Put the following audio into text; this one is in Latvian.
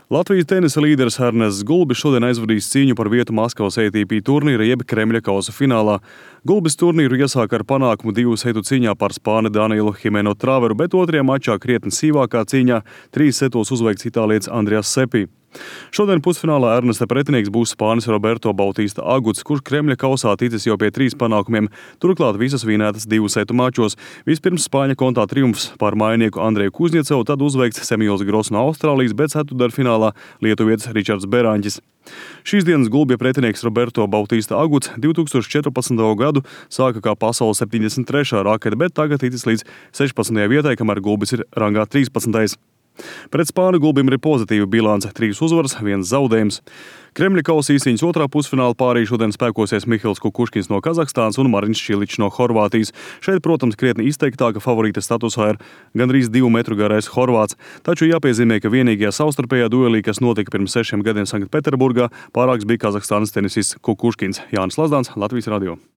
Latvijas tenisa līderis Ernests Gulbis šodien aizvadīs cīņu par vietu Maskavas ATP turnīra jeb Kremļa kausa finālā. Gulbis turnīru iesāka ar panākumu 2 setu cīņā par spāni Danielu Himeno Traveru, bet otrajā mačā krietni sīvākā cīņā 3 setos uzveikts itālietis Andreas Seppi. Šodien pusfinālā Ernesta pretinieks būs spānis Roberto Bautista Aguts, kurš Kremļa kausā ticis jau pie 3 panākumiem, turklāt visas vinētas 2 setu mačos. Vispirms Spāņa kontā triumfs pār mājinieku Andreju Kuzņecovu, tad uzveikts Semjons Gross no Austrālijas, bet ceturtdaļfinālā lietuvietis Ričards Beraņķis. Šīs dienas Gulbja pretinieks Roberto Bautista Aguts 2014. gadu sāka kā pasaules 73. rakete, bet tagad ticis līdz 16. vietai, kamēr Gulbis ir rangā 13. Pret spāņu Gulbim ir pozitīva bilance – 3 uzvaras, 1 zaudējums. Kremļa kausa īsiņas otrā pusfināla pārī šodien spēkosies Mihils Kukuškins no Kazahstānas un Mariņš Čiličs no Horvātijas. Šeit, protams, krietni izteiktāka favorīta statusā ir gandrīz 2 metru garais Horvāts. Taču jāpiezīmē, ka vienīgajā savstarpējā duelī, kas notika pirms 6 gadiem Sanktpēterburgā, pārāks bija Kazahstānas tenisists Kukuškins. Jānis Lazdāns, Latvijas radio.